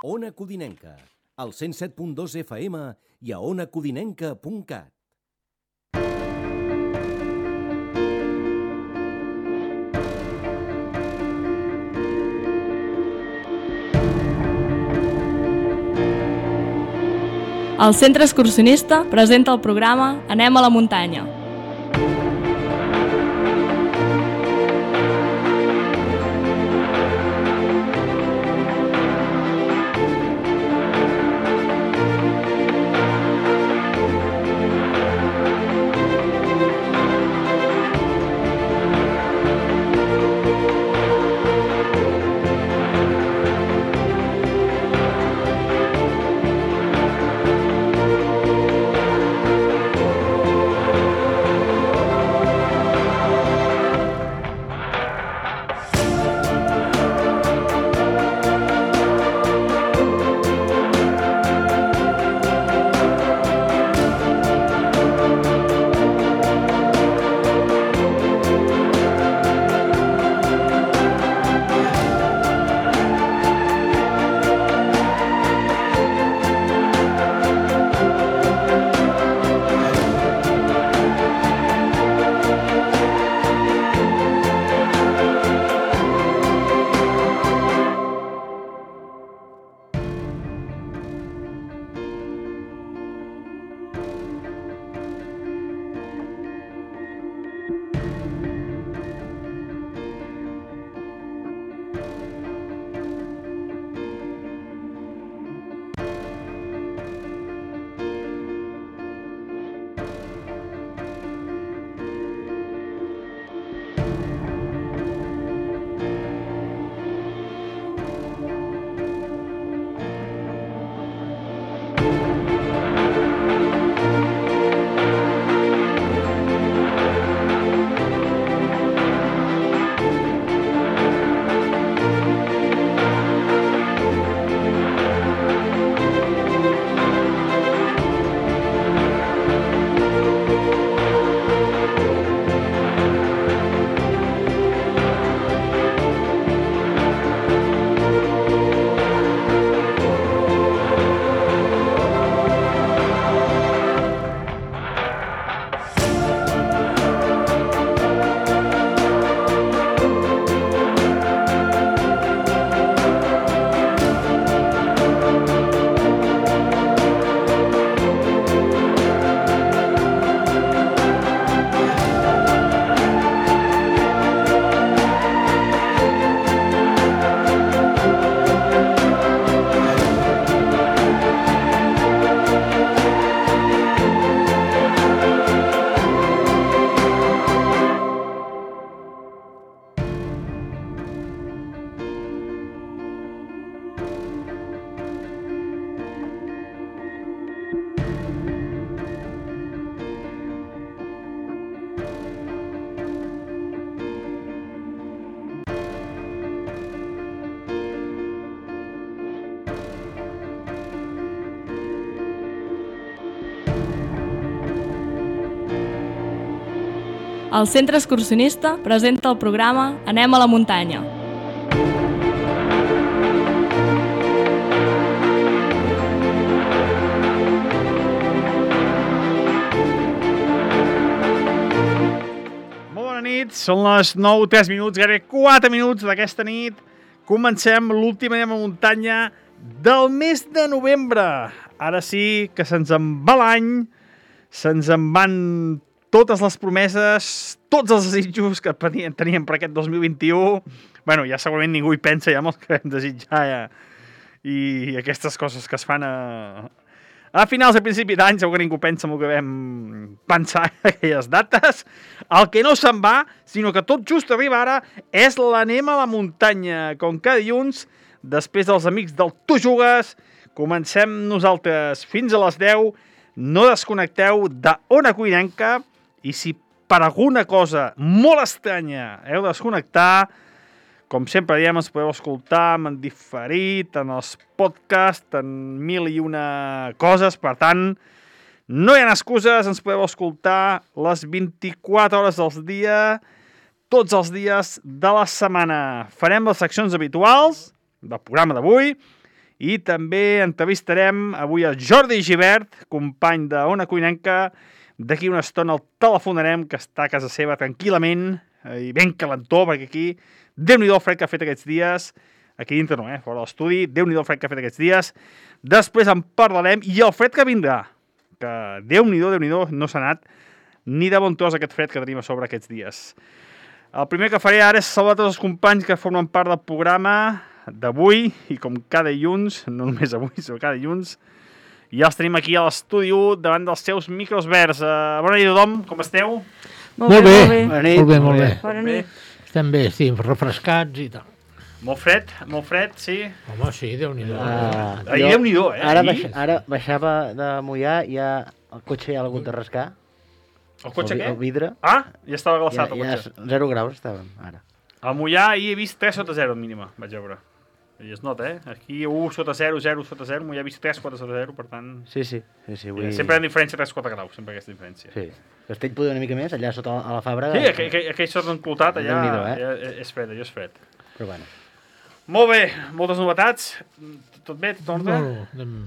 Ona Codinenca, al 107.2 FM i a onacodinenca.cat. El Centre Excursionista presenta el programa Anem a la muntanya. El Centre Excursionista presenta el programa Anem a la muntanya. Molt bona nit, són les 9, 3 minuts, gairebé 4 minuts d'aquesta nit. Comencem l'última Anem a la muntanya del mes de novembre. Ara sí que se'ns en va l'any, se'ns en van totes les promeses, tots els desitjos que teníem per aquest 2021. Bueno, ja segurament ningú hi pensa ja amb els que vam desitjar ja. I aquestes coses que es fan a finals de principi d'any, segur que ningú pensa en el que vam pensar aquelles dates. El que no se'n va, sinó que tot just arriba ara, és l'Anem a la muntanya. Com cada dilluns, després dels amics del Tu Jugues, comencem nosaltres fins a les 10. No desconnecteu d'Ona Codinenca. I si per alguna cosa molt estranya heu de desconnectar, com sempre diem, ens podeu escoltar en diferit, en els podcasts, en 1000 i una coses. Per tant, no hi ha excuses, ens podeu escoltar les 24 hores del dia, tots els dies de la setmana. Farem les seccions habituals del programa d'avui I també entrevistarem avui a Jordi Gibert, company d'Ona Cuinenca. D'aquí una estona el telefonarem, que està a casa seva tranquil·lament i ben calentó, perquè aquí Déu-n'hi-do el fred que ha fet aquests dies. Aquí dintre no, fora de l'estudi. Déu-n'hi-do el fred que ha fet aquests dies. Després en parlarem. I el fred que vindrà, que Déu-n'hi-do, no s'ha anat ni de bon tros aquest fred que tenim a sobre aquests dies. El primer que faré ara és saludar tots els companys que formen part del programa d'avui, i com cada dilluns, no només avui, sinó cada dilluns, ja els tenim aquí a l'estudi davant dels seus micros verds. Bona nit a tothom, com esteu? Molt bé. Molt bé. Bona nit. Estem bé, sí, refrescats i tal. Molt fred, sí. Home, sí, Déu-n'hi-do. Ahir Déu-n'hi-do, Ara baixava de Moià, ja el cotxe ja l'ha hagut de rascar. El cotxe què? El vidre. Ah, ja estava glaçat el cotxe. Ja 0 graus estàvem, ara. A Moià ahir he vist 3 sota 0 mínima, vaig veure. I es nota, Aquí 1 sota 0, 0 sota 0, Moià he vist 3, 4 sota 0, per tant... Sí. Sempre hi ha diferència 3-4 graus, sempre aquesta diferència. Sí. Castell poder una mica més, allà sota a la Fabra... Sí, aquell sort enclotat allà és fred, allò és fred. Però bueno. Molt bé, moltes novetats. Tot bé, tot ordre?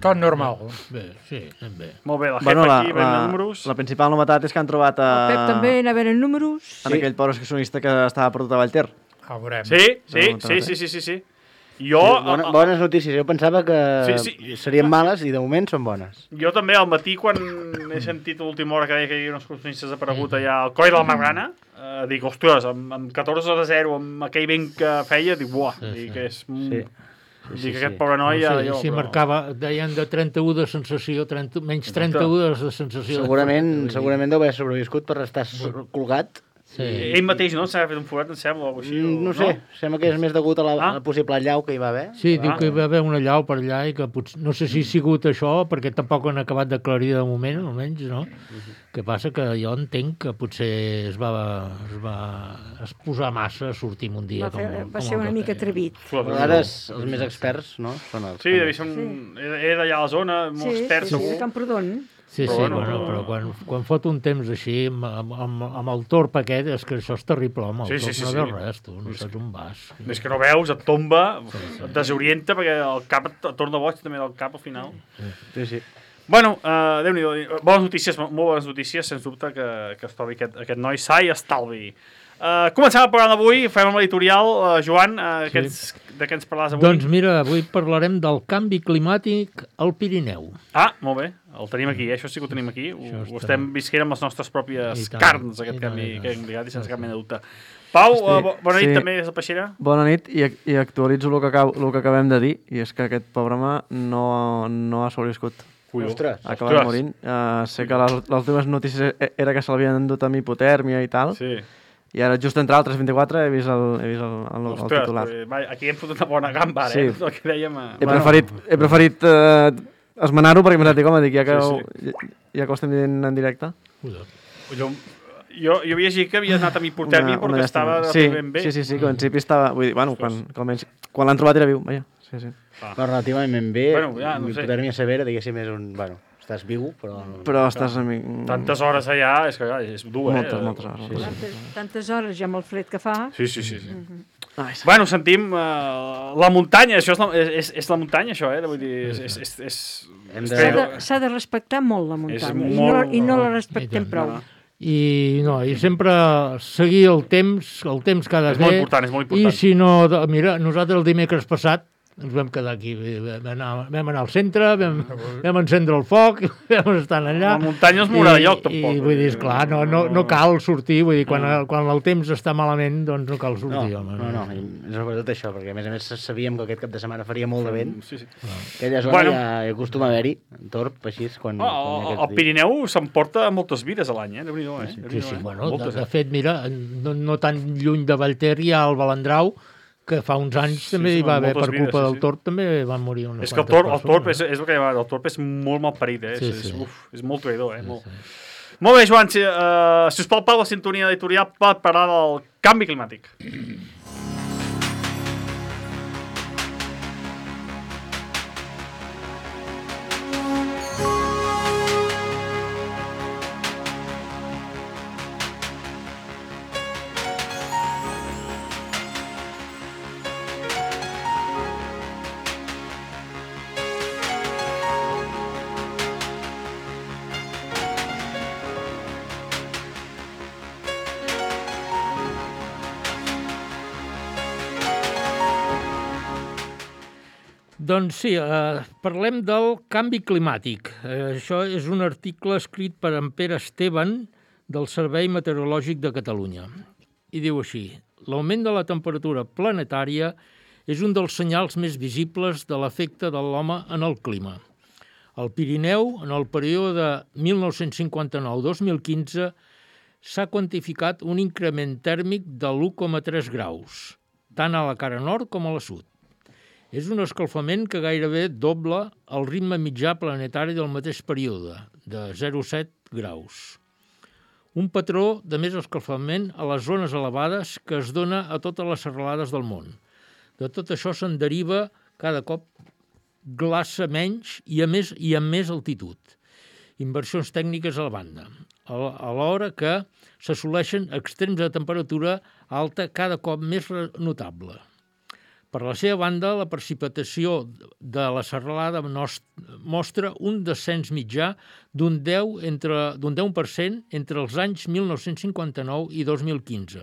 Tot normal. Bé, sí, anem bé. Molt bé, la jefa aquí, ven de números. La principal novetat és que han trobat El Pep també anaven en números. en aquell pobre excursionista que estava perdut a Vallter. El veurem. Sí. Jo... Bones notícies, jo pensava que serien males i de moment són bones. Jo també al matí, quan he sentit a l'última hora que deia que hi havia uns excursionistes aparegut allà al coll de la Marrana, dic, ostres, amb 14 sota 0, amb aquell vent que feia, dic, buah, dic que és... Dic, aquest pobre noi... Si marcava, deien de 31 de sensació, menys 31 de sensació. Segurament deu haver sobreviscut per estar colgat. Sí. Ell mateix, no? S'ha fet un forat, em sembla, o alguna cosa així. No sé, sembla que és més degut a la possible allau que hi va haver. Sí, diu que hi va haver una allau per allà i que potser... No sé si ha sigut això, perquè tampoc han acabat d'aclarir de moment, almenys, no? Que passa que jo entenc que potser es posar massa a sortir un dia. Va ser una mica atrevit. A vegades els més experts, no? Són els... Sí, devia ser era d'allà a la zona, molt expert, segur. Sí, Camprodon. Sí, però quan fot un temps així, amb el torp aquest, és que això és terrible, home, el torp no veus res, tu, no saps on vas. És que no veus, et tomba, et desorienta, perquè el cap et torna boig també del cap al final. Sí. Bueno, Déu-n'hi-do, bones notícies, molt bones notícies, sens dubte, que es trobi aquest noi sa i estalvi. Comencem el programa d'avui, fem amb l'editorial. Joan, de què ens parlaràs avui? Doncs mira, avui parlarem del canvi climàtic al Pirineu. Ah, molt bé, el tenim aquí, això sí que ho tenim aquí. Ho estem visquent amb les nostres pròpies carns, aquest canvi climàtic, sense cap mena de dubte. Pau, bona nit també des de Peixera. Bona nit, i actualitzo el que acabem de dir, i és que aquest pobre home no ha sobreviscut. Ostres. Ha acabat morint. Sé que les últimes notícies era que se l'havien endut amb hipotèrmia i tal. Sí. I ara, just entrar al 324, he vist el titular. Aquí hem fotut una bona gamba, ara, el que dèiem... He preferit esmenar-ho perquè m'he dit, home, ja que ho estem dient en directe. Jo havia llegit que havia anat amb hipotèrmia perquè estava ben bé. Sí, que al principi estava... Vull dir, bueno, quan l'han trobat era viu, vaja. Sí. Però relativament bé, hipotèrmia severa, diguéssim, és un... Bueno, estàs viu, però estàs... Tantes hores allà, és que és dur, Moltes hores. Tantes hores ja amb el fred que fa. Sí. Bueno, sentim la muntanya, això és la muntanya, això, Vull dir, S'ha de respectar molt la muntanya, i no la respectem prou. I sempre seguir el temps que ha de fer. És molt important. I si no, mira, nosaltres el dimecres passat ens vam quedar aquí, vam anar al centre, vam encendre el foc, vam estar allà. La muntanya es mourà de lloc, tampoc. I vull dir, esclar, no cal sortir, vull dir, quan el temps està malament, doncs no cal sortir, home. No, sobretot això, perquè a més sabíem que aquest cap de setmana faria molt de vent. Sí. Aquella zona ja acostuma a haver-hi, torp, així, quan... El Pirineu s'emporta moltes vides a l'any, Déu-n'hi-do, Sí, bueno, de fet, mira, no tan lluny de Vallter hi ha el Balandrau, que fa uns anys també hi va haver, per culpa del torp, també van morir unes quantes persones. És que el torp és molt mal parit, és molt traïdor, Molt bé, Joan, si us plau, Pau, la sintonia editorial per parlar del canvi climàtic. Doncs sí, parlem del canvi climàtic. Això és un article escrit per en Pere Esteban del Servei Meteorològic de Catalunya. I diu així: l'augment de la temperatura planetària és un dels senyals més visibles de l'efecte de l'home en el clima. Al Pirineu, en el període 1959-2015, s'ha quantificat un increment tèrmic de l'1,3 graus, tant a la cara nord com a la sud. És un escalfament que gairebé dobla el ritme mitjà planetari del mateix període, de 0,7 graus. Un patró de més escalfament a les zones elevades que es dona a totes les serralades del món. De tot això se'n deriva cada cop glaça menys i amb més altitud. Inversions tècniques a la banda, alhora que s'assoleixen extrems de temperatura alta cada cop més notable. Per la seva banda, la precipitació de la serralada mostra un descens mitjà d'un 10% entre els anys 1959 i 2015.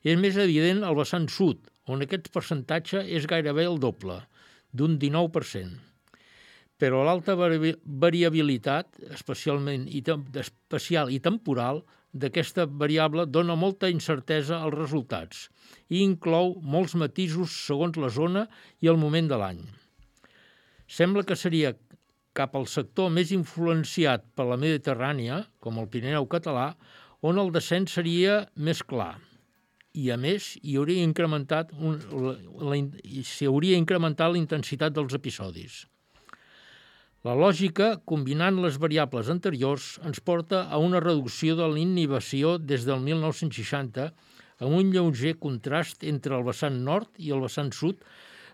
És més evident al vessant sud, on aquest percentatge és gairebé el doble, d'un 19%. Però l'alta variabilitat, especial i temporal, d'aquesta variable dona molta incertesa als resultats i inclou molts matisos segons la zona i el moment de l'any. Sembla que seria cap al sector més influenciat per la Mediterrània, com el Pirineu català, on el descens seria més clar. I, a més, s'hauria incrementat la intensitat dels episodis. La lògica, combinant les variables anteriors, ens porta a una reducció de la inhibició des del 1960 amb un lleuger contrast entre el vessant nord i el vessant sud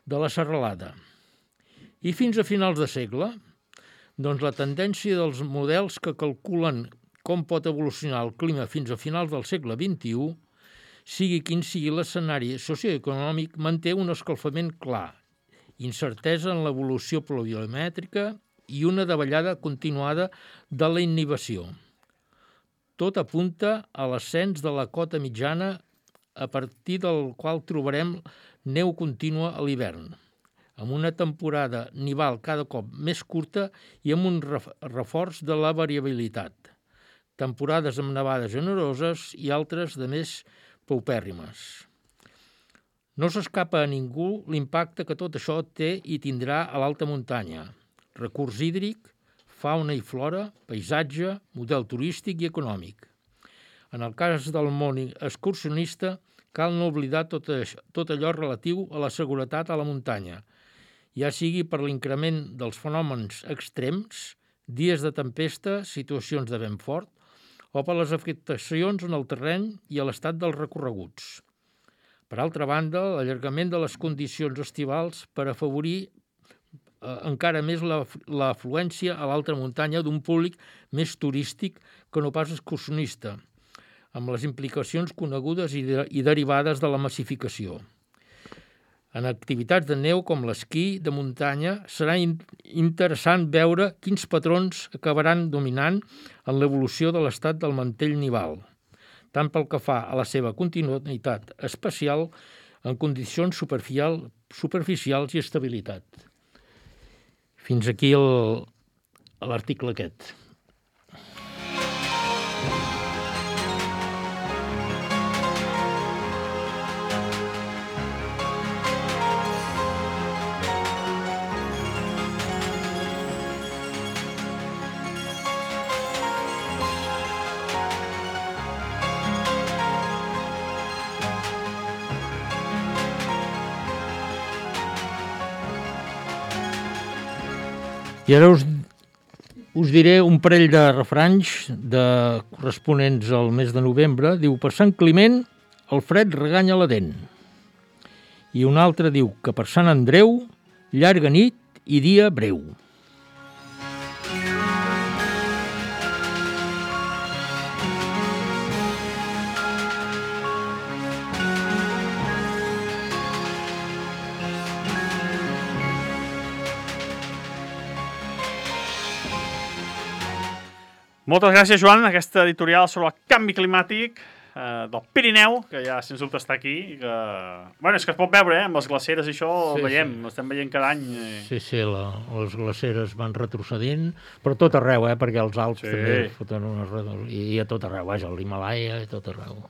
de la serralada. I fins a finals de segle, doncs la tendència dels models que calculen com pot evolucionar el clima fins a finals del segle XXI, sigui quin sigui l'escenari socioeconòmic, manté un escalfament clar, incertesa en l'evolució pluviomètrica i una davallada continuada de la inhibició. Tot apunta a l'ascens de la cota mitjana a partir del qual trobarem neu contínua a l'hivern, amb una temporada nival cada cop més curta i amb un reforç de la variabilitat, temporades amb nevades generoses i altres de més paupèrrimes. No s'escapa a ningú l'impacte que tot això té i tindrà a l'alta muntanya. Recurs hídric, fauna i flora, paisatge, model turístic i econòmic. En el cas del món excursionista, cal no oblidar tot allò relatiu a la seguretat a la muntanya, ja sigui per l'increment dels fenòmens extrems, dies de tempesta, situacions de vent fort, o per les afectacions en el terreny i a l'estat dels recorreguts. Per altra banda, l'allargament de les condicions estivals per afavorir encara més l'afluència a l'alta muntanya d'un públic més turístic que no pas excursionista, amb les implicacions conegudes i derivades de la massificació. En activitats de neu com l'esquí de muntanya serà interessant veure quins patrons acabaran dominant en l'evolució de l'estat del mantell nival, tant pel que fa a la seva continuïtat espacial en condicions superficials i estabilitat. Fins aquí l'article aquest. I ara us diré un parell de refranys corresponents al mes de novembre. Diu, per Sant Climent, el fred reganya la dent. I un altre diu que per Sant Andreu, llarga nit i dia breu. Moltes gràcies, Joan, aquesta editorial sobre el canvi climàtic. del Pirineu, que ja sens dubte està aquí, i que... Bueno, és que es pot veure, amb les glaceres i això ho veiem, l'estem veient cada any. Sí, les glaceres van retrocedint, però tot arreu, perquè els Alps també foten i a tot arreu, vaja, l'Himalaya i tot arreu.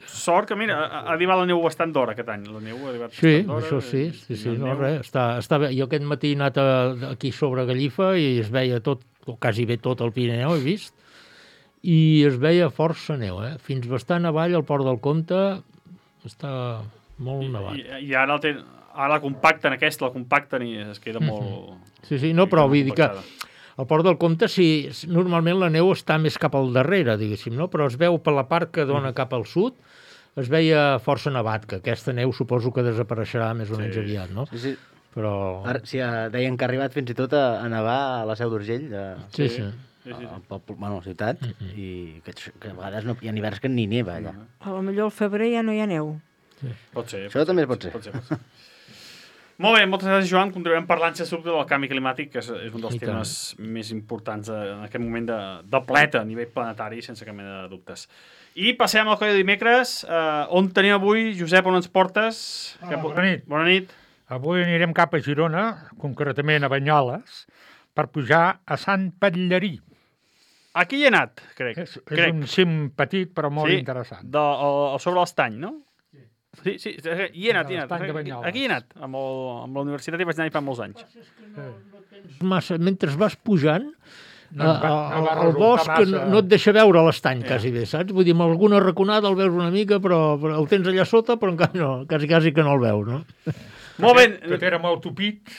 Sort que, mira, ha arribat la neu bastant d'hora aquest any, la neu ha arribat bastant d'hora. Això sí, no res, està bé. Jo aquest matí he anat aquí sobre Gallifa i es veia tot, o quasi bé tot el Pirineu, he vist, i es veia força neu, fins bastant avall al Port del Comte està molt nevat. I ara la compacten la compacten i es queda molt... Sí, no, però vull dir que al Port del Comte normalment la neu està més cap al darrere, diguéssim, no? Però es veu per la part que dona cap al sud, es veia força nevat, que aquesta neu suposo que desapareixerà més o menys aviat, no? Sí. Però... Ara, sí, deien que ha arribat fins i tot a nevar a la Seu d'Urgell, Sí. a la ciutat, i que a vegades hi ha hiverns que ni neva allà. A lo millor al febrer ja no hi ha neu. Pot ser. Això també pot ser. Molt bé, moltes gràcies, Joan. Continuarem parlant, sens dubte, del canvi climàtic, que és un dels temes més importants en aquest moment de planeta, a nivell planetari, sense cap mena de dubtes. I passem al Coll de dimecres, on tenim avui, Josep, on ens portes? Bona nit. Bona nit. Avui anirem cap a Girona, concretament a Banyoles, per pujar a Sant Patllarí. Aquí hi he anat, crec. És un cim petit, però molt interessant. Sobre l'estany, no? Sí, hi he anat. Aquí hi he anat, amb la universitat hi vaig anar-hi fa molts anys. Mentre vas pujant, el bosc no et deixa veure l'estany, quasi bé, saps? Vull dir, amb alguna raconada el veus una mica, però el tens allà sota, però encara no, quasi que no el veus, no? Molt bé. Tot era molt tupit,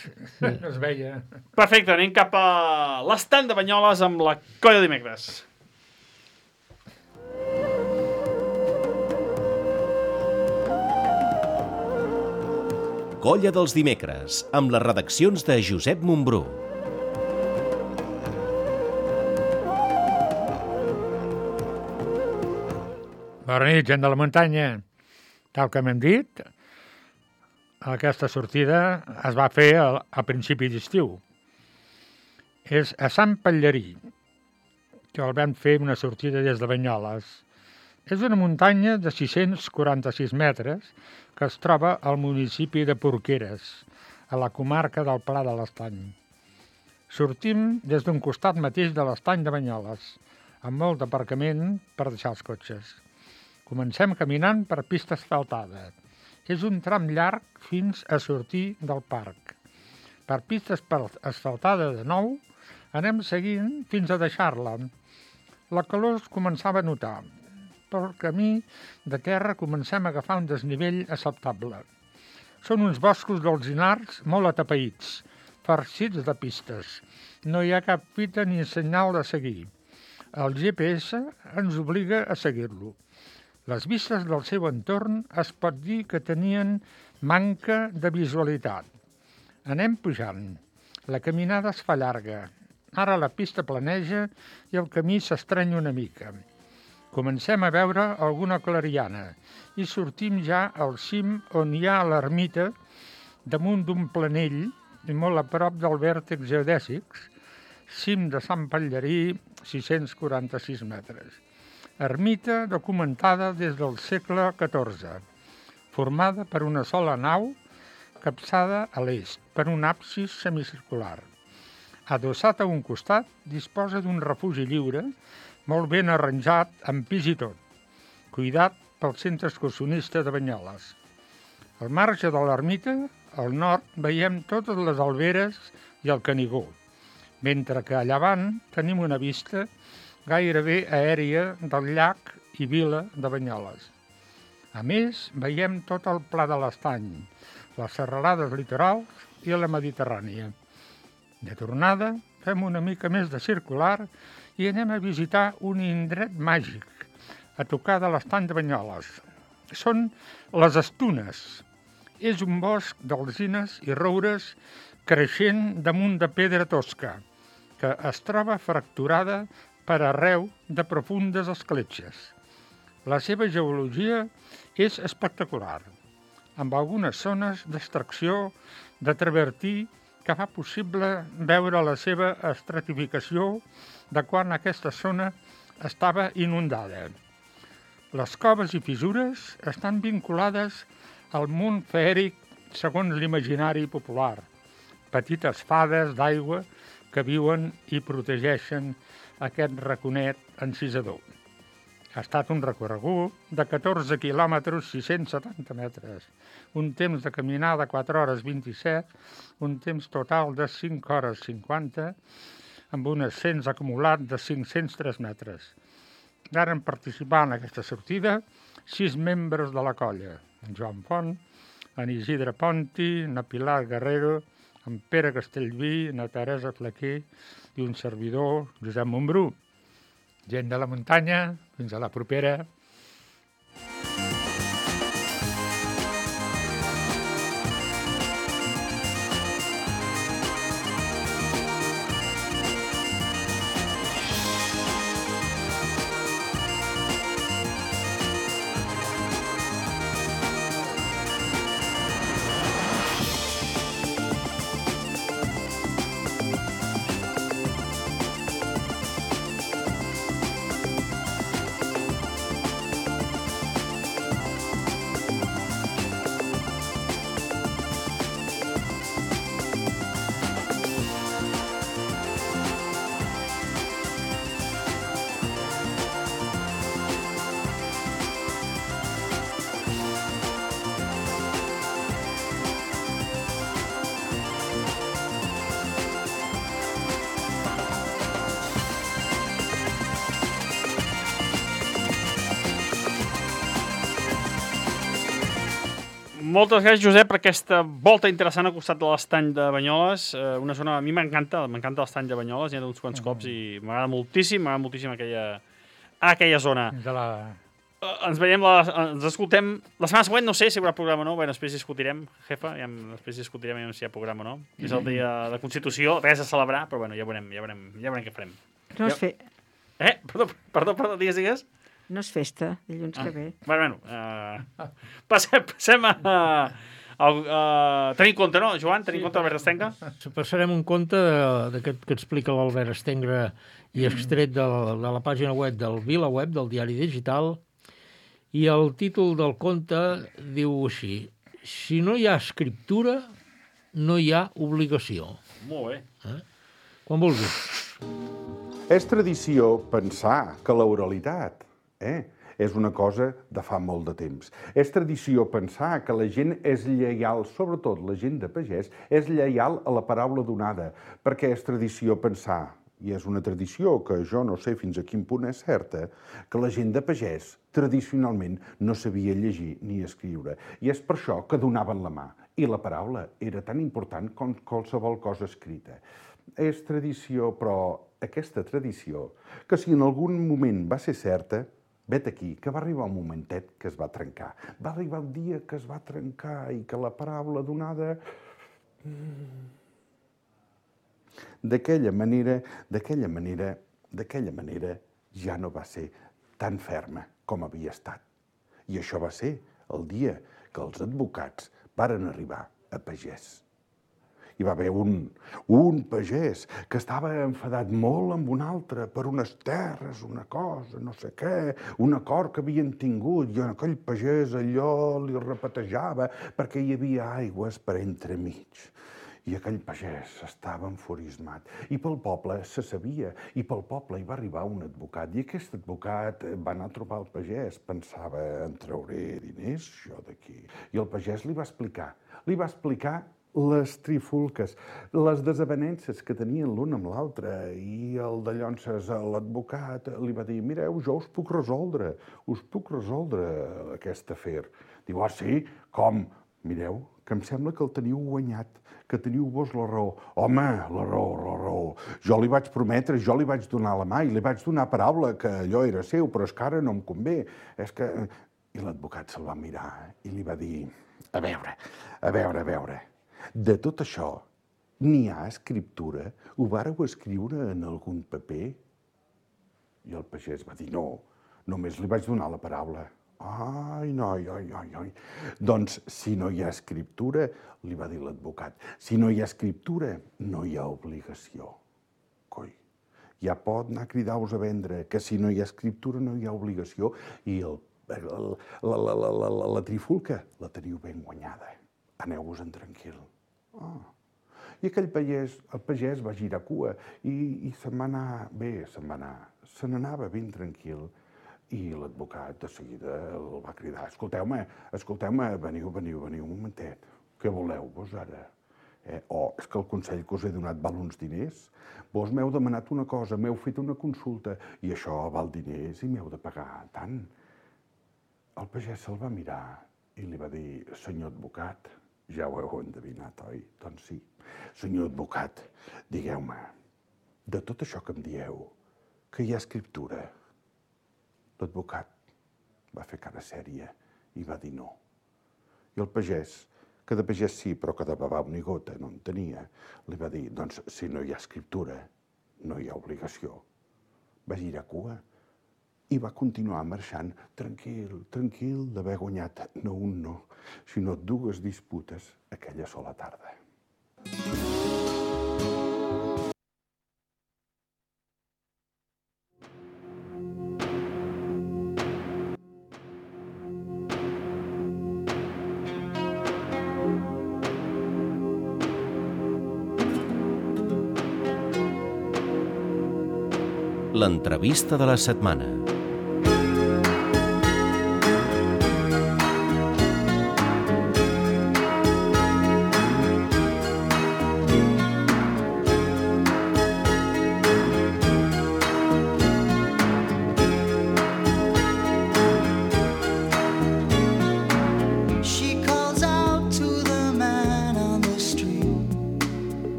no es veia. Perfecte, anem cap a l'estand de Banyoles amb la Colla de dimecres. Colla dels dimecres, amb les redaccions de Josep Montbrú. Bona nit, gent de la muntanya. Tal com hem dit, aquesta sortida es va fer a principi d'estiu. És a Sant Patllarí, que el vam fer una sortida des de Banyoles. És una muntanya de 646 metres que es troba al municipi de Porqueres, a la comarca del Pla de l'Estany. Sortim des d'un costat mateix de l'Estany de Banyoles, amb molt d'aparcament per deixar els cotxes. Comencem caminant per pista asfaltada. És un tram llarg fins a sortir del parc. Per pista asfaltada de nou, anem seguint fins a deixar-la. La calor es començava a notar. Pel camí de terra comencem a agafar un desnivell acceptable. Són uns boscos d'alzinars molt atapeïts, farcits de pistes. No hi ha cap fita ni senyal a seguir. El GPS ens obliga a seguir-lo. Les vistes del seu entorn es pot dir que tenien manca de visualitat. Anem pujant. La caminada es fa llarga. Ara la pista planeja i el camí s'estreny una mica. Comencem a veure alguna clariana i sortim ja al cim on hi ha l'ermita damunt d'un planell i molt a prop del vèrtex geodèsic, cim de Sant Patllarí, 646 metres. Ermita documentada des del segle XIV, formada per una sola nau capçada a l'est per un absis semicircular. Adossat a un costat, disposa d'un refugi lliure, molt ben arranjat, amb pis i tot, cuidat pel Centre Excursionista de Banyoles. Al marge de l'ermita, al nord, veiem totes les alberes i el Canigó, mentre que a llevant tenim una vista gairebé aèria del llac i vila de Banyoles. A més, veiem tot el Pla de l'Estany, les serralades litorals i la Mediterrània. De tornada, fem una mica més de circular i anem a visitar un indret màgic, a tocar de l'Estany de Banyoles. Són les Estunes. És un bosc d'alzines i roures creixent damunt de pedra tosca, que es troba fracturada per arreu de profundes escletxes. La seva geologia és espectacular, amb algunes zones d'extracció de travertí que fa possible veure la seva estratificació de quan aquesta zona estava inundada. Les coves i fissures estan vinculades al món feèric segons l'imaginari popular. Petites fades d'aigua que viuen i protegeixen aquest raconet encisador. Ha estat un recorregut de 14 quilòmetres 670 metres, un temps de caminar de 4 hores 27, un temps total de 5 hores 50, amb un ascens acumulat de 503 metres. Varen participar en aquesta sortida 6 membres de la colla, en Joan Font, en Isidre Ponti, na Pilar Guerrero, en Pere Castellví, na Teresa Flaquer i un servidor, Josep Montbrú. Gent de la muntanya, fins a la propera. Moltes gràcies, Josep, per aquesta volta interessant al costat de l'estany de Banyoles. Una zona, a mi m'encanta l'estany de Banyoles, hi ha uns quants cops i m'agrada moltíssim aquella zona. Ens escoltem la setmana següent, no sé si hi haurà programa o no, bé, després discutirem, jefa, després discutirem si hi ha programa o no. És el dia de Constitució, res a celebrar, però bueno, ja veurem què farem. No és fe... Perdó, digues? No és festa, dilluns que ve. Bueno, passem a tenir en compte, no, Joan? Tenir en compte l'Albert Estenga? Passarem un compte d'aquest que explica l'Albert Estenga i extret de la pàgina web del VilaWeb, del diari digital, i el títol del conte diu així: si no hi ha escriptura, no hi ha obligació. Molt bé. Quan vulguis. És tradició pensar que l'oralitat és una cosa de fa molt de temps. És tradició pensar que la gent és lleial, sobretot la gent de pagès, és lleial a la paraula donada, perquè és tradició pensar, i és una tradició que jo no sé fins a quin punt és certa, que la gent de pagès tradicionalment no sabia llegir ni escriure. I és per això que donaven la mà. I la paraula era tan important com qualsevol cosa escrita. És tradició, però aquesta tradició, que si en algun moment va ser certa, vet aquí, que va arribar un momentet que es va trencar. Va arribar el dia que es va trencar i que la paraula donada... D'aquella manera, ja no va ser tan ferma com havia estat. I això va ser el dia que els advocats varen arribar a Pagès. Hi va haver un pagès que estava enfadat molt amb un altre per unes terres, una cosa, no sé què, un acord que havien tingut, i aquell pagès allò li repetejava perquè hi havia aigües per entremig. I aquell pagès estava enfurismat. I pel poble se sabia, i pel poble hi va arribar un advocat, i aquest advocat va anar a trobar el pagès, pensava, en trauré diners jo d'aquí. I el pagès li va explicar les trifulques, les desavenences que tenien l'un amb l'altre, i el de Llonses, l'advocat, li va dir: mireu, jo us puc resoldre aquest afer. Diu: ah, sí? Com? Mireu, que em sembla que el teniu guanyat, que teniu vos la raó. Home, la raó. Jo li vaig prometre, jo li vaig donar la mà i li vaig donar paraula que allò era seu, però és que ara no em convé. És que... I l'advocat se'l va mirar i li va dir: a veure. De tot això, n'hi ha escriptura? Ho vàreu escriure en algun paper? I el pagès va dir: no, només li vaig donar la paraula. Ai. Doncs, si no hi ha escriptura, li va dir l'advocat, si no hi ha escriptura, no hi ha obligació. Coi, ja pot anar a cridar-vos a vendre que si no hi ha escriptura no hi ha obligació. I la trifulca la teniu ben guanyada. Aneu-vos-en tranquil. I aquell pagès, el pagès va girar cua i se'n va anar bé, se n'anava ben tranquil. I l'advocat de seguida el va cridar: escolteu-me, veniu un momentet. Què voleu vos ara? És que el consell que us he donat val uns diners? Vos m'heu demanat una cosa, m'heu fet una consulta i això val diners i m'heu de pagar tant. El pagès se'l va mirar i li va dir: senyor advocat, ja ho heu endevinat, oi? Doncs sí. Senyor advocat, digueu-me, de tot això que em dieu, que hi ha escriptura? L'advocat va fer cara sèria i va dir no. I el pagès, que de pagès sí, però que de babau ni gota no en tenia, li va dir: doncs si no hi ha escriptura, no hi ha obligació. Va girar cua i va continuar marxant tranquil d'haver guanyat no un no, sinó 2 disputes aquella sola tarda. L'entrevista de la setmana.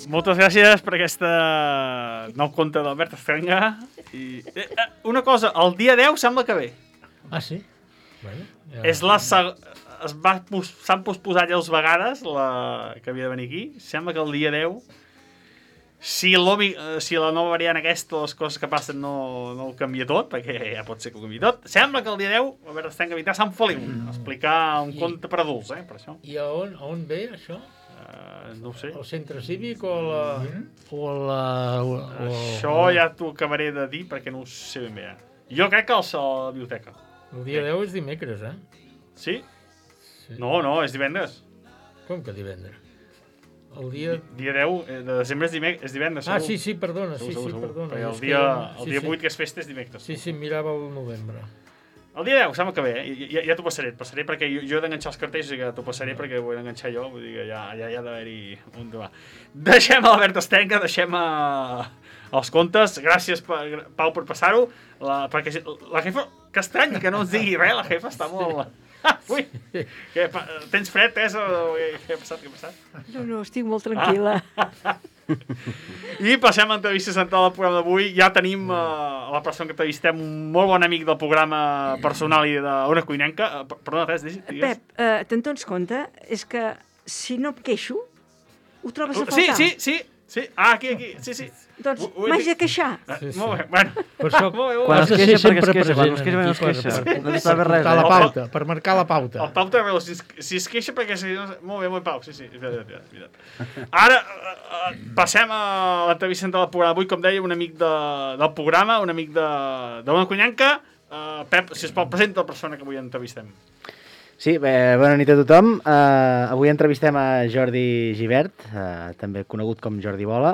Moltes gràcies per aquesta nou conte d'Albert Estrenga. Una cosa, el dia 10 sembla que ve. Ah, sí? Bueno, s'han posposat ja 2 vegades que havia de venir aquí. Sembla que el dia 10, si la nova variant aquesta o les coses que passen no ho canvia tot, perquè ja pot ser que ho canvia tot, sembla que el dia 10 Albert Estrenga vindrà a Sant Feliu a explicar un conte per adults, per això. I a on ve això? No ho sé. Al centre cívic o a la... Això ja t'ho acabaré de dir perquè no ho sé ben bé. Jo crec que a la biblioteca. El dia 10 és dimecres, Sí? No, és divendres. Com que divendres? El dia 10 de desembre és divendres, segur. Ah, sí, perdona. Perquè el dia 8 que és festa és dimecres. Sí, mirava el novembre. El dia 10, sembla que bé, ja t'ho passaré perquè jo he d'enganxar els cartells, o sigui que t'ho passaré perquè ho he d'enganxar jo, vull dir que ja ha d'haver-hi un demà. Deixem a l'Albert Estrenga, deixem els contes, gràcies Pau per passar-ho, perquè la jefa, que estrany que no ens digui res, la jefa està molt... Ui, tens fred, Tessa? Què ha passat? No, estic molt tranquil·la. I passem a l'entrevista central del programa d'avui. Ja tenim la persona que entrevistem, un molt bon amic del programa personal i d'Ona Cuinenca. Perdona, Tess, digues. Pep, te'n dones compte? És que si no em queixo, ho trobes a faltar. Sí. Aquí. Sí. Doncs m'haig de queixar. Molt bé, bueno. Per això, quan es queixa, perquè es queixa. Quan es queixa, no es queixa. No t'està bé res. Per marcar la pauta. El Pau també, si es queixa perquè... Molt bé, Pau, sí. Ara passem a l'entrevista central del programa. Avui, com deia, un amic del programa, un amic d'Ona Cuinenca. Pep, si es pot, presenta la persona que avui entrevistem. Sí, bona nit a tothom. Avui entrevistem a Jordi Gibert, també conegut com Jordi Bola.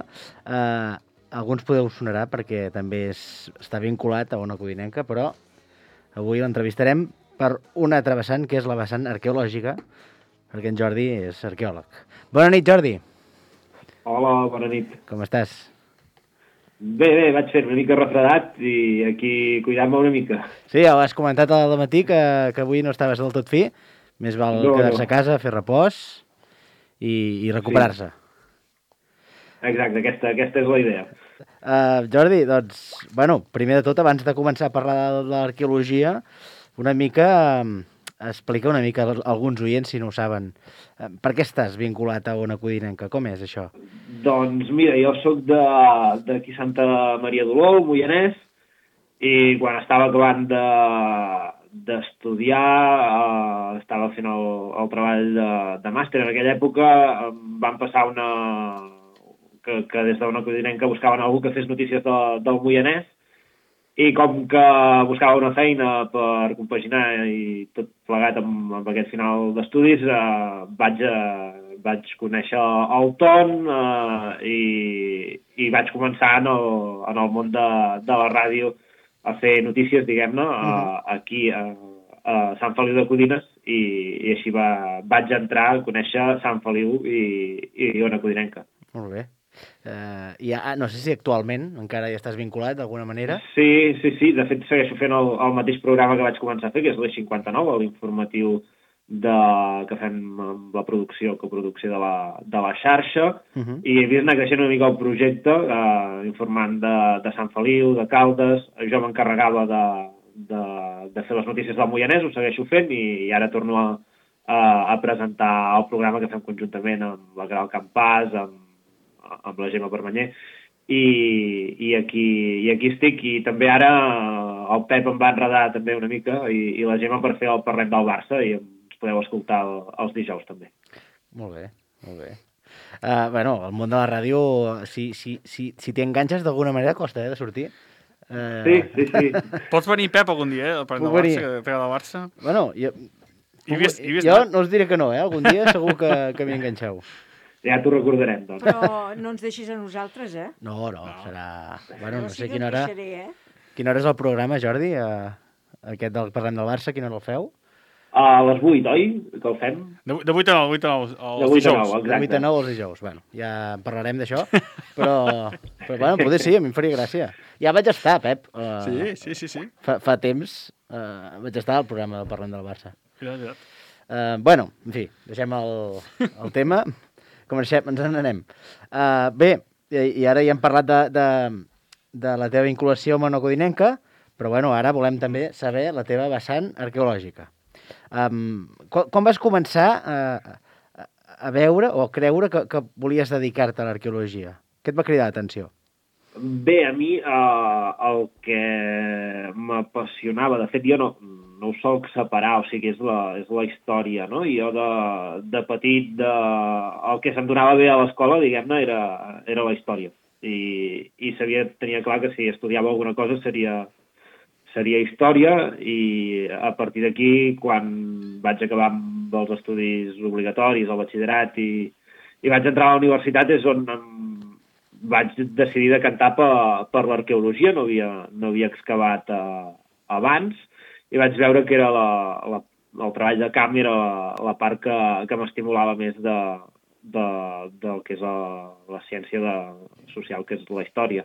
Alguns podeu sonarà perquè també està vinculat a Ona Codinenca, però avui l'entrevistarem per una altra vessant, que és la vessant arqueològica, perquè en Jordi és arqueòleg. Bona nit, Jordi. Hola, bona nit. Com estàs? Bé, vaig fer una mica refredat i aquí cuidant-me una mica. Sí, ja ho has comentat al matí que avui no estaves del tot fi. Més val quedar-se a casa, fer repòs i recuperar-se. Sí. Exacte, aquesta és la idea. Jordi, doncs, bueno, primer de tot, abans de començar a parlar de l'arqueologia, explica una mica a alguns oients, si no ho saben, per què estàs vinculat a Ona Codinenca? Com és això? Doncs mira, jo soc d'aquí Santa Maria d'Oló, Moianès, i quan estava acabant d'estudiar, estava fent el treball de màster. En aquella època vam passar que des d'una codinenca buscaven algú que fes notícies del Moianès, i com que buscava una feina per compaginar i tot plegat amb aquest final d'estudis, vaig conèixer el Ton i vaig començar en el món de la ràdio a fer notícies, diguem-ne, aquí a Sant Feliu de Codines, i així vaig entrar a conèixer Sant Feliu i Ona Codinenca. Molt bé. No sé si actualment encara hi estàs vinculat d'alguna manera. Sí. De fet, segueixo fent el mateix programa que vaig començar a fer, que és l'Eix 59, l'informatiu que fem amb la coproducció de la xarxa, i he vist anar creixent una mica el projecte, informant de Sant Feliu, de Caldes. Jo m'encarregava de fer les notícies del Moianès, ho segueixo fent, i ara torno a presentar el programa que fem conjuntament amb la Caral Campàs, amb la Gemma Permanyer, i aquí estic. I també ara el Pep em va enredar també una mica, i la Gemma, per fer el Parlem del Barça, i ens podeu escoltar els dijous també. Molt bé. Bueno, el món de la ràdio, si t'hi enganxes d'alguna manera, costa de sortir. Sí. Pots venir, Pep, algun dia, el Parlem del Barça, que pega del Barça? Bueno, jo no us diré que no, algun dia segur que m'hi enganxeu. Ja t'ho recordarem, doncs. Però no ens deixis a nosaltres, No, serà... Bueno, no sé quina hora... Deixaré, Quina hora és el programa, Jordi? Aquest del Parlem del Barça, quina hora el feu? A les 8, oi? Que el fem? De 8 a 9, els dijous. De 8 a 9 els dijous. Bueno, ja parlarem d'això, però bueno, poder sí, a mi em faria gràcia. Ja vaig estar, Pep. Sí. Fa temps vaig estar al programa del Parlem del Barça. Bueno, en fi, deixem el tema. Comencem, ens n'anem. Bé, i ara ja hem parlat de la teva vinculació amb Ona Codinenca, però bueno, ara volem també saber la teva vessant arqueològica. Quan vas començar a veure o a creure que volies dedicar-te a l'arqueologia? Què et va cridar l'atenció? Bé, a mi el que m'apassionava, de fet jo no ho solc separar, o sigui, és la història, no? I jo de petit, el que se'm donava bé a l'escola, diguem-ne, era la història. I tenia clar que si estudiava alguna cosa seria història, i a partir d'aquí, quan vaig acabar amb els estudis obligatoris, el batxillerat, i vaig entrar a la universitat, és on vaig decidir de cantar per l'arqueologia. No havia excavat abans, i vaig veure que era el treball de camp era la part que m'estimulava més del que és la ciència social, que és la història.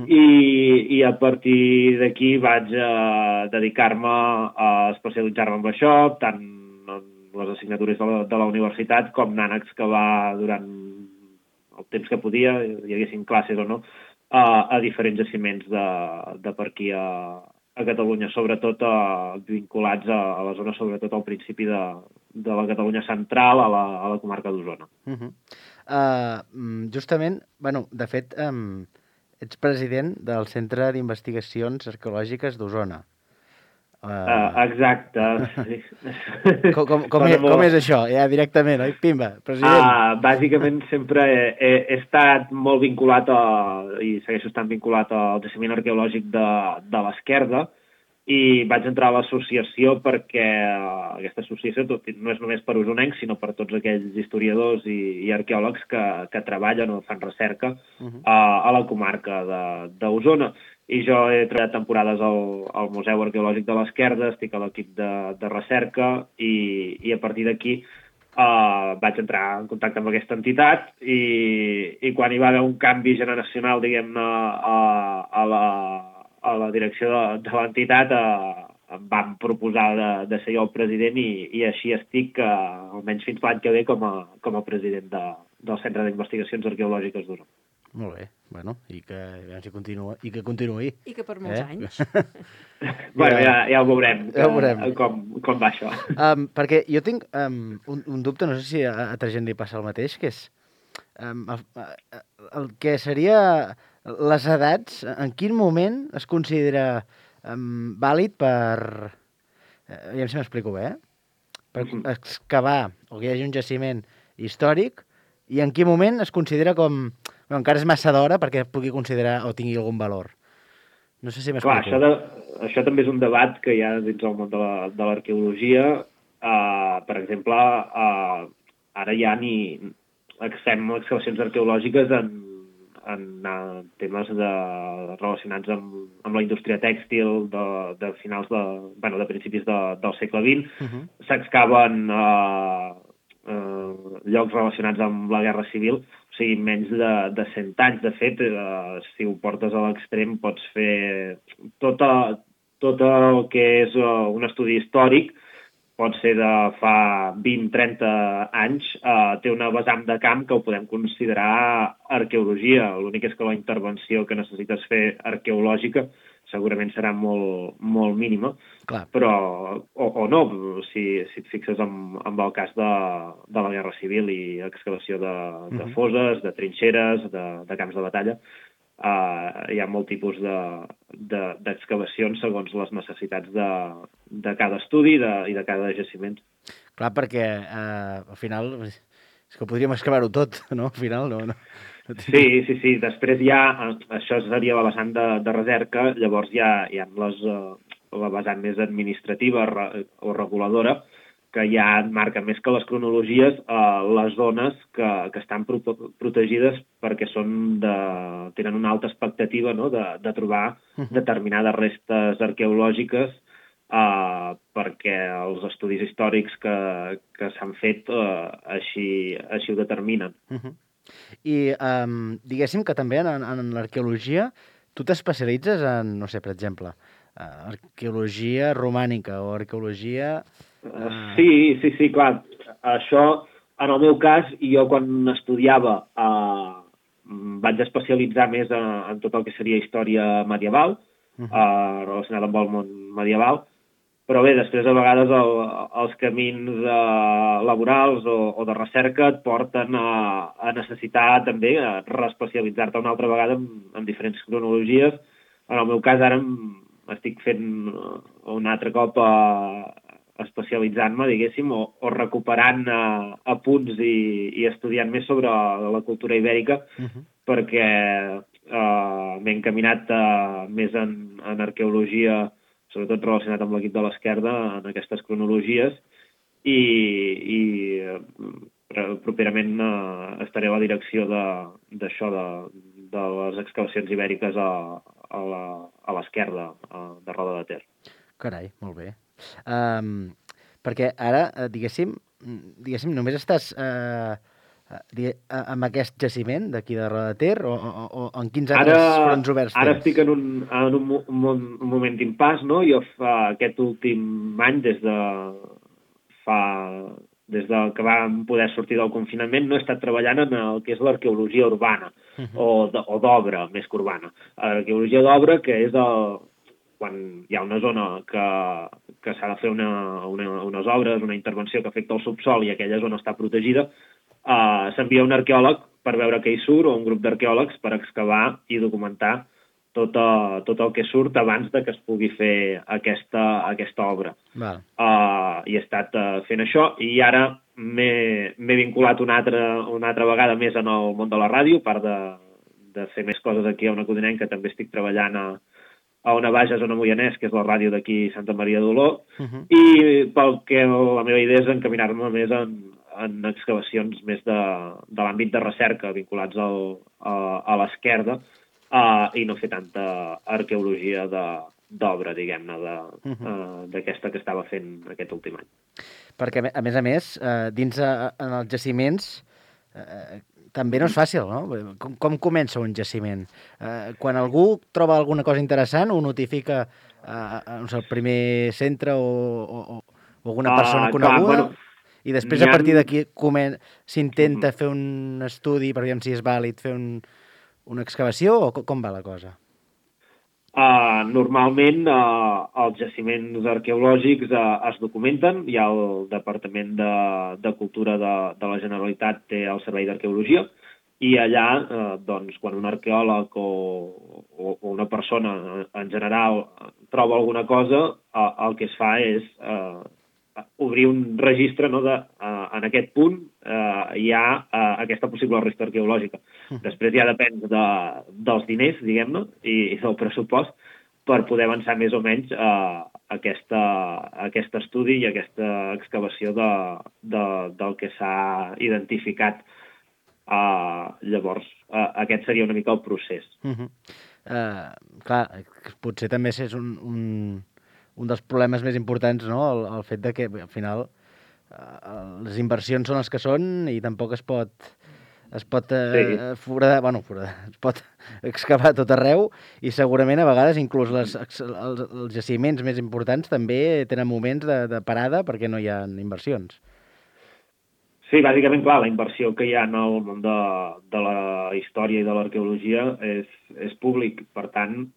I a partir d'aquí vaig dedicar-me a especialitzar-me en això, tant en les assignatures de la universitat com anant a excavar durant el temps que podia, hi haguessin classes o no, a diferents jaciments de per aquí a Catalunya, sobretot vinculats a la zona, sobretot al principi de la Catalunya central, a la comarca d'Osona. Justament, bueno, de fet, ets president del Centre d'Investigacions Arqueològiques d'Osona. Exacte. Com és això? Ja directament, oi? Pimba, president. Bàsicament sempre he estat molt vinculat i segueixo estant vinculat al jaciment arqueològic de l'Esquerda, i vaig entrar a l'associació perquè aquesta associació no és només per osonencs, sinó per tots aquells historiadors i arqueòlegs que treballen o fan recerca a la comarca d'Osona. I jo he treballat temporades al Museu Arqueològic de l'Esquerda, estic a l'equip de recerca, i a partir d'aquí vaig entrar en contacte amb aquesta entitat, i quan hi va haver un canvi generacional, diguem-ne, a la direcció de l'entitat, em van proposar de ser jo el president, i així estic, almenys fins l'any que ve, com a president del Centre d'Investigacions Arqueològiques d'Osona. Molt bé, bueno, i que continuï. I que per molts anys. Bueno, ja ho veurem, com va això. Perquè jo tinc un dubte, no sé si a altra gent li passa el mateix, que és el que seria les edats, en quin moment es considera vàlid per... Ja si m'explico bé, per excavar o que hi hagi un jaciment històric, i en quin moment es considera com... no, encara és massa d'hora perquè pugui considerar o tingui algun valor. No sé si Clar, m'explico. això també és un debat que hi ha dins el món de l'arqueologia. Per exemple, ara ja fem excavacions arqueològiques en temes relacionats amb la indústria tèxtil de finals de principis del segle XX. S'excaven llocs relacionats amb la Guerra Civil, o sigui, menys de 100 anys. De fet, si ho portes a l'extrem, pots fer tot el que és un estudi històric, pot ser de fa 20-30 anys, té una vessant de camp que ho podem considerar arqueologia. L'únic és que la intervenció que necessites fer arqueològica segurament serà molt, molt mínima. Clar. Però, o no, si et fixes en el cas de la Guerra Civil i excavació de fosses, de trinxeres, de camps de batalla, hi ha molt tipus d'excavacions segons les necessitats de cada estudi i de cada jaciment. Clar, perquè al final és que podríem excavar-ho tot, no? Al final no. Sí. Després això seria la vessant de recerca, llavors hi ha la vessant més administrativa o reguladora, que ja marca més que les cronologies les zones que estan protegides perquè tenen una alta expectativa, no?, de trobar determinades restes arqueològiques, perquè els estudis històrics que s'han fet així ho determinen. I diguéssim que també en l'arqueologia tu t'especialitzes en, no sé, per exemple, arqueologia romànica o arqueologia... Sí, clar. Això, en el meu cas, jo quan estudiava vaig especialitzar més en tot el que seria història medieval, relacionada amb el món medieval, però bé, després a vegades els camins laborals o de recerca et porten a necessitar també reespecialitzar-te una altra vegada en diferents cronologies. En el meu cas ara estic fent un altre cop especialitzant-me, diguéssim, o recuperant apunts i estudiant més sobre la cultura ibèrica, perquè m'he encaminat més en arqueologia, sobretot relacionat amb l'equip de l'Esquerda, en aquestes cronologies, i properament estaré a la direcció d'això, de les excavacions ibèriques a l'Esquerda, de Roda de Ter. Carai, molt bé. Perquè ara, diguéssim, només estàs amb aquest jaciment d'aquí de Roda de Ter o en quins altres fronts oberts tens? Ara estic en un moment d'impàs, no? Jo aquest últim any, des que vam poder sortir del confinament, no he estat treballant en el que és l'arqueologia urbana, o d'obra, més que urbana. L'arqueologia d'obra, que és quan hi ha una zona que s'ha de fer unes obres, una intervenció que afecta el subsol i aquella zona està protegida, s'envia un arqueòleg per veure què hi surt, o un grup d'arqueòlegs per excavar i documentar tot el que surt abans de que es pugui fer aquesta obra. I he estat fent això, i ara m'he vinculat una altra vegada més en el món de la ràdio, a part de fer més coses aquí a Ona Codinenca, també estic treballant a Ona Bages, Ona Moianès, que és la ràdio d'aquí Santa Maria d'Oló, i pel que la meva idea és encaminar-me més en excavacions més de l'àmbit de recerca, vinculats a l'Esquerda, i no fer tanta arqueologia d'obra, diguem-ne, d'aquesta que estava fent aquest últim any. Perquè, a més, dins en els jaciments també no és fàcil, no? Com comença un jaciment? Quan algú troba alguna cosa interessant, ho notifica al primer centre o alguna persona coneguda, i després a partir d'aquí s'intenta fer un estudi per veure si és vàlid fer una excavació, o com va la cosa? Normalment els jaciments arqueològics es documenten. Hi ha el Departament de Cultura de la Generalitat, té el Servei d'Arqueologia, i allà, quan un arqueòleg o una persona en general troba alguna cosa, el que es fa és obrir un registre, no, en aquest punt hi ha aquesta possible resta arqueològica. Després ja depèn dels diners, diguem-ne, i del pressupost, per poder avançar més o menys aquest estudi i aquesta excavació del que s'ha identificat. Llavors, aquest seria una mica el procés. Clar, potser també és un dels problemes més importants, no? El fet de que, al final, les inversions són les que són i tampoc es pot foradar, es pot excavar tot arreu i segurament a vegades inclús els jaciments més importants també tenen moments de parada perquè no hi ha inversions. Sí, bàsicament, clar, la inversió que hi ha en el món de la història i de l'arqueologia és públic. Per tant,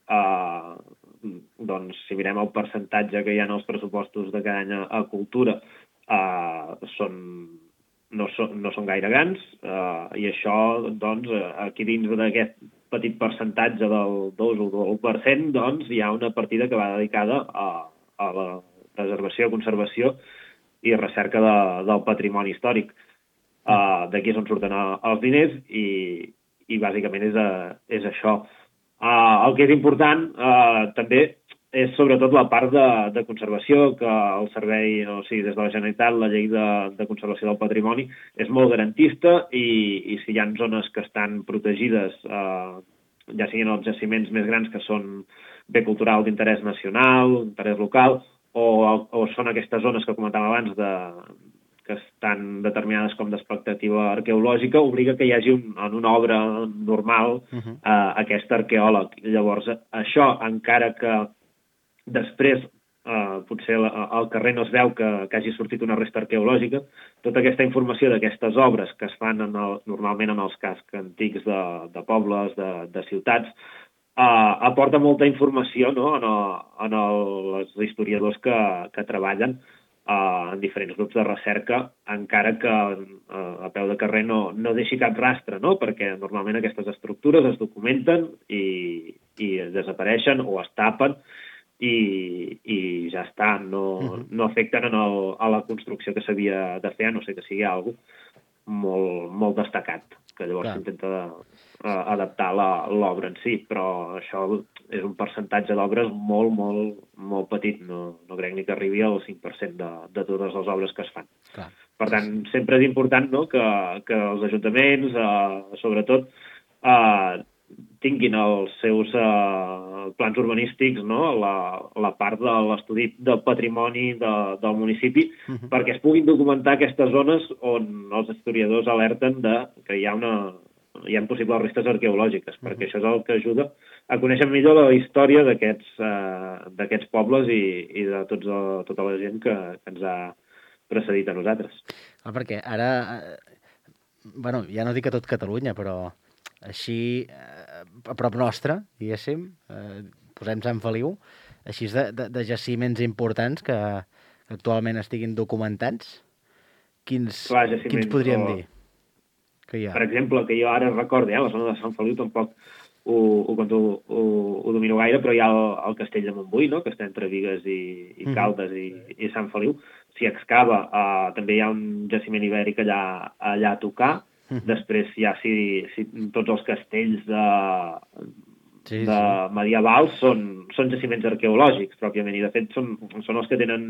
doncs, si mirem el percentatge que hi ha en els pressupostos de cada any a cultura, no són gaire grans, i això, doncs, aquí dins d'aquest petit percentatge del 2 o del 1%, doncs, hi ha una partida que va dedicada a la preservació, conservació i recerca del patrimoni històric. D'aquí és on surten els diners i bàsicament és això. El que és important també és sobretot la part de conservació, que el servei, o sigui, des de la Generalitat, la llei de conservació del patrimoni és molt garantista i si hi ha zones que estan protegides, ja siguin els jaciments més grans que són bé cultural d'interès nacional, d'interès local, o són aquestes zones que comentàvem abans que estan determinades com d'expectativa arqueològica, obliga que hi hagi en una obra normal aquest arqueòleg. Llavors, això, encara que després potser al carrer no es veu que hagi sortit una resta arqueològica, tota aquesta informació d'aquestes obres que es fan normalment en els cascs antics de pobles, de ciutats, aporta molta informació, no?, en els historiadors que treballen en diferents grups de recerca, encara que a peu de carrer no deixi cap rastre, no?, perquè normalment aquestes estructures es documenten i desapareixen o es tapen i ja està, no afecten a la construcció que s'havia de fer, a no ser que sigui alguna cosa molt destacat, que llavors s'intenta adaptar l'obra en si, però això és un percentatge d'obres molt petit, no crec ni que arribi al 5% de totes les obres que es fan. Clar. Per tant, sempre és important, no?, que els ajuntaments, sobretot, tinguin els seus plans urbanístics, no?, la part de l'estudi del patrimoni del municipi, perquè es puguin documentar aquestes zones on els historiadors alerten que hi ha possibles restes arqueològiques, perquè això és el que ajuda a conèixer millor la història d'aquests pobles i de tota la gent que ens ha precedit a nosaltres. Perquè ara, ja no dic a tot Catalunya, però així, a prop nostre, diguéssim, posem Sant Feliu, així de jaciments importants que actualment estiguin documentats, quins podríem dir? Per exemple, que jo ara recordo, la zona de Sant Feliu tampoc ho domino gaire, però hi ha el castell de Montbui, no?, que està entre Bigues i Caldes i Sant Feliu. S'hi excava, també hi ha un jaciment ibèric allà a tocar. Després hi ha tots els castells medievals són jaciments arqueològics, pròpiament, i de fet són els que tenen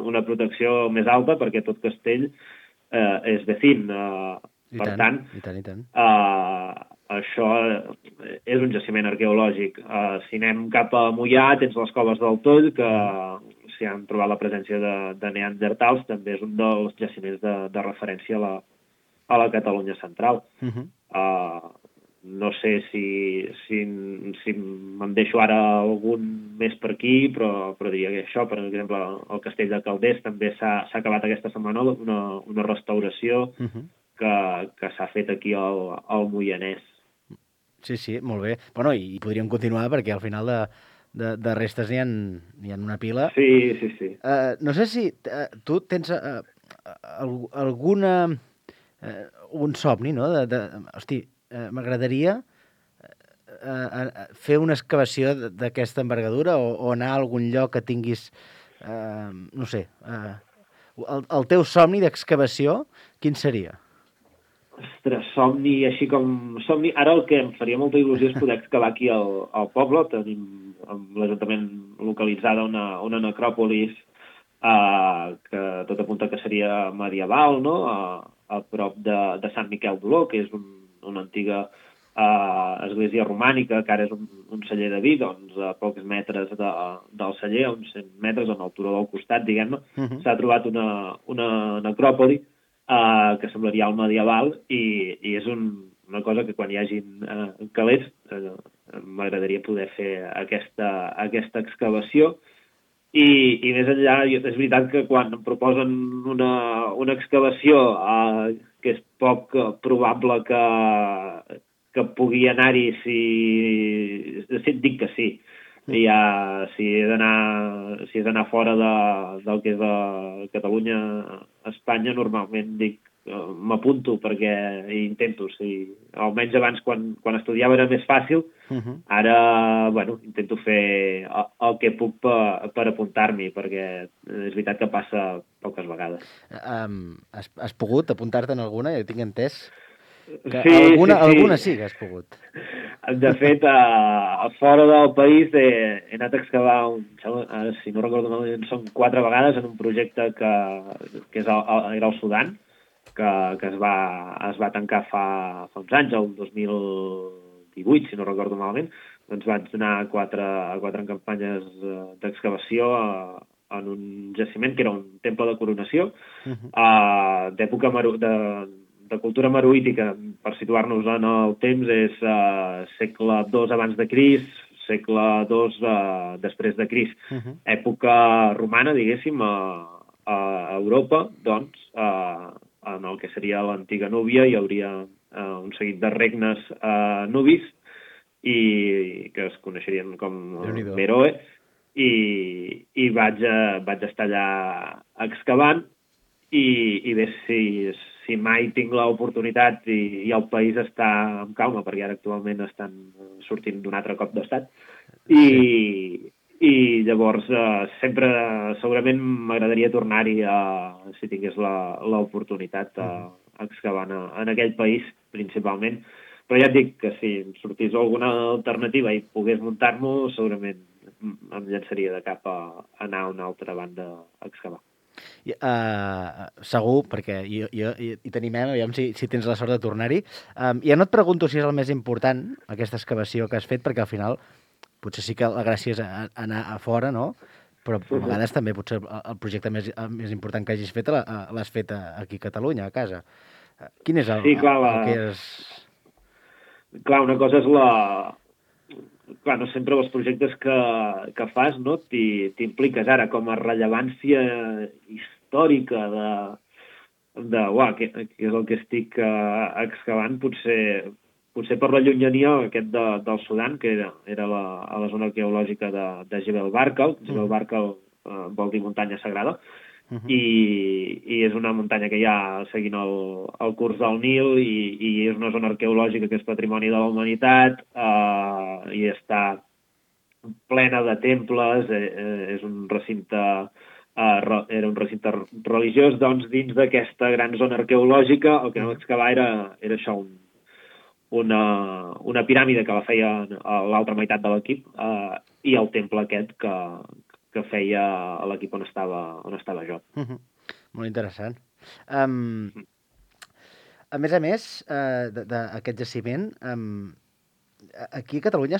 una protecció més alta, perquè tot castell és vecin. Per tant, això és un jaciment arqueològic. Si anem cap a Moià, tens les coves del Toll, que s'hi han trobat la presència de neandertals, també és un dels jaciments de referència a la Catalunya central. No sé si me'n deixo ara algun més per aquí, però diria que això, per exemple, el castell de Calders també s'ha acabat aquesta setmana una restauració que s'ha fet aquí al Moianès. Sí, molt bé. Bueno, i podríem continuar perquè al final de restes n'hi ha una pila. Sí. No sé si tu tens un somni, no? Hosti, m'agradaria fer una excavació d'aquesta envergadura o anar a algun lloc que tinguis, no sé, el teu somni d'excavació, quin seria? Ostres, somni, així com somni. Ara el que em faria molta il·lusió és poder excavar aquí al poble. Tenim amb l'Ajuntament localitzada una necròpolis que tot apunta que seria medieval, no? A prop de Sant Miquel d'Oló, que és una antiga església romànica, que ara és un celler de vi, doncs a pocs metres del celler, a uns 100 metres, en el turó del costat, diguem-ne, s'ha trobat una necròpoli que semblaria el medieval i és una cosa que quan hi hagin calés m'agradaria poder fer aquesta excavació i més enllà és veritat que quan em proposen una excavació que és poc probable que pugui anar-hi si dic que sí. Si he d'anar fora del que és Catalunya, Espanya, normalment dic m'apunto perquè intento, almenys abans quan estudiava era més fàcil, ara intento fer el que puc per apuntar-m'hi, perquè és veritat que passa poques vegades. Has pogut apuntar-te en alguna? Jo tinc entès que sí. Alguna sí que has pogut. De fet, fora del país he anat a excavar, si no recordo malament, són 4 vegades en un projecte que era el Sudan, que es va tancar fa uns anys, el 2018, si no recordo malament. Doncs vaig anar a 4 campanyes d'excavació en un jaciment que era un temple de coronació, d'època de cultura meroítica, per situar-nos en el temps, és segle II abans de Crist, segle II després de Crist. Època romana, diguéssim, a Europa, doncs, en el que seria l'antiga Núbia hi hauria un seguit de regnes nubis i que es coneixerien com Meroe, i vaig estar allà excavant i bé, si mai tinc l'oportunitat i el país està en calma, perquè ara actualment estan sortint d'un altre cop d'estat, i llavors sempre segurament m'agradaria tornar-hi si tingués l'oportunitat excavant en aquell país principalment, però ja et dic que si em sortís alguna alternativa i pogués muntar-m'ho, segurament em llançaria de cap a anar a una altra banda a excavar. Segur, perquè hi t'animem, aviam si tens la sort de tornar-hi. Ja no et pregunto si és el més important, aquesta excavació que has fet, perquè al final potser sí que la gràcia és anar a fora, no? Però a vegades també potser el projecte més important que hagis fet l'has fet aquí a Catalunya, a casa. Quin és el que és... Clar, una cosa és Clar, no sempre els projectes que fas, no, t'impliques ara com a rellevància històrica que és el que estic excavant, potser per la llunyania aquest del Sudan, que era a la zona arqueològica de Jebel Barkal. Jebel Barkal vol dir muntanya sagrada, i és una muntanya que hi ha seguint el curs del Nil i és una zona arqueològica que és patrimoni de la humanitat i està plena de temples, és un recinte era un recinte religiós, doncs dins d'aquesta gran zona arqueològica el que vam excavar era això, una piràmide que la feia l'altra meitat de l'equip i el temple aquest que feia l'equip on estava jo. Molt interessant. A més, d'aquest jaciment, aquí a Catalunya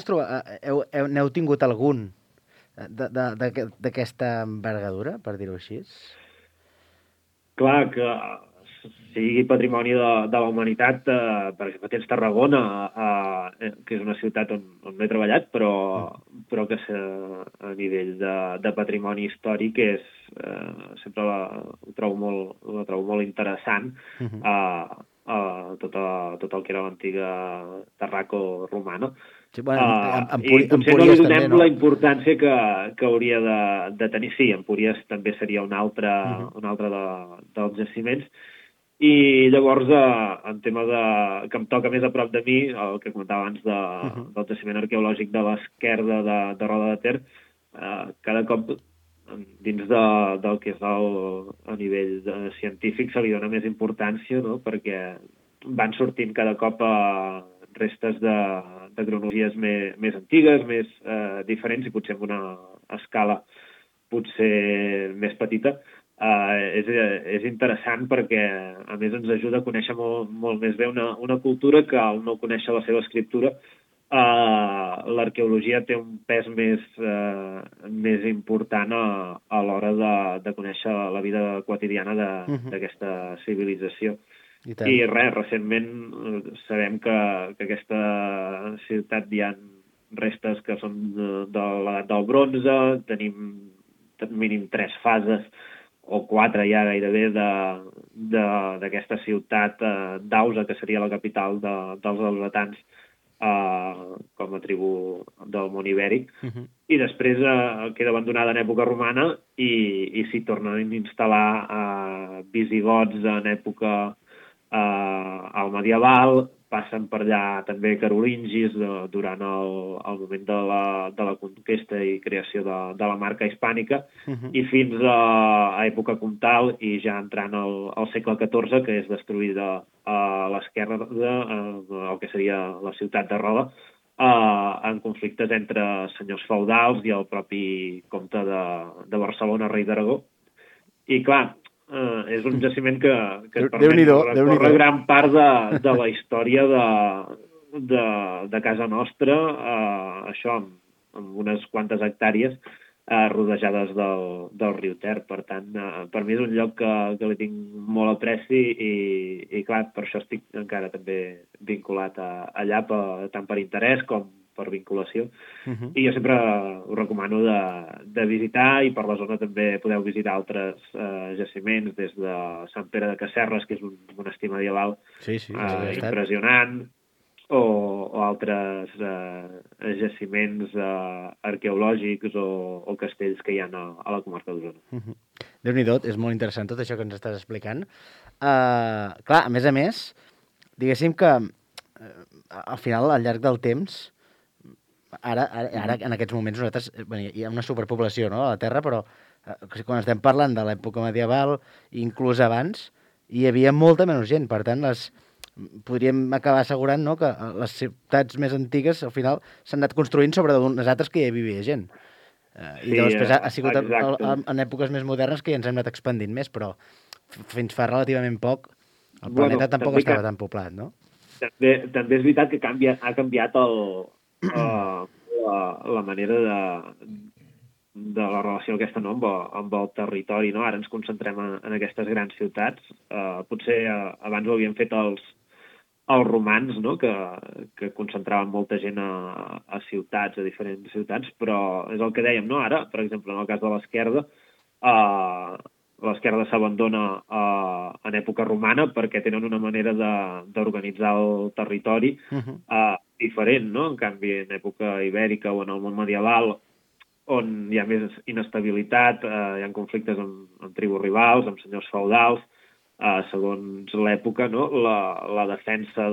n'heu tingut algun d'aquesta envergadura, per dir-ho així? Clar, que sigui patrimoni de la humanitat, per exemple, tens Tarragona, que és una ciutat on no he treballat, però que a nivell de patrimoni històric sempre la trobo molt interessant, tot el que era l'antiga Tarraco romana. Sí, bueno, i potser no li donem la importància que hauria de tenir. Sí, Empúries també seria un altre dels jaciments. I llavors, en tema que em toca més a prop de mi, el que comentava abans del jaciment arqueològic de l'esquerda de Roda de Ter, cada cop dins del que és a nivell científic se li dona més importància, no? Perquè van sortint cada cop restes de cronologies més antigues, més diferents i potser amb una escala potser més petita. És interessant perquè, a més, ens ajuda a conèixer molt més bé una cultura que, al no conèixer la seva escriptura, l'arqueologia té un pes més important a l'hora de conèixer la vida quotidiana d'aquesta civilització. I res, recentment sabem que aquesta ciutat hi ha restes que són de l'edat del bronze, tenim mínim 3 fases o 4 ja gairebé d'aquesta ciutat d'Ausa, que seria la capital dels albatans com a tribu del món ibèric, i després queda abandonada en època romana i s'hi tornen a instal·lar visigots en època al medieval, passen per allà també carolingis durant el moment de la conquesta i creació de la marca hispànica, i fins a època comtal i ja entrant al segle XIV, que és destruïda a l'esquerra el que seria la ciutat de Roda, en conflictes entre senyors feudals i el propi comte de Barcelona, rei d'Aragó. I clar, és un jaciment que ens permet recórrer gran part de la història de casa nostra, això amb unes quantes hectàrees rodejades del riu Ter. Per tant, per mi és un lloc que li tinc molt apreci i clar, per això estic encara també vinculat allà, tant per interès com per vinculació. I jo sempre us recomano de visitar, i per la zona també podeu visitar altres jaciments, des de Sant Pere de Casserres, que és un monestir medieval impressionant, o altres jaciments arqueològics o castells que hi ha a la comarca d'Osona. Déu-n'hi-do, és molt interessant tot això que ens estàs explicant. Clar, a més, diguéssim que al final, al llarg del temps, ara en aquests moments, nosaltres hi ha una superpoblació, no, a la Terra, però quan estem parlant de l'època medieval, inclús abans, hi havia molta menys gent. Per tant, podríem acabar assegurant, no, que les ciutats més antigues, al final, s'han anat construint sobre unes altres que hi vivia gent. I després ha sigut en èpoques més modernes que ja ens hem anat expandint més, però fins fa relativament poc el planeta tampoc estava tan poblat, no? També és veritat que ha canviat la manera de la relació aquesta, no, amb el territori, no? Ara ens concentrem en aquestes grans ciutats. Potser abans ho havien fet els romans, no?, que concentraven molta gent a ciutats, a diferents ciutats, però és el que dèiem, no? Ara, per exemple, en el cas de l'Esquerda, l'Esquerda s'abandona en època romana perquè tenen una manera d'organitzar el territori diferent, no? En canvi, en època ibèrica o en el món medieval, on hi ha més inestabilitat, hi ha conflictes amb tribus rivals, amb senyors feudals, segons l'època, no? La defensa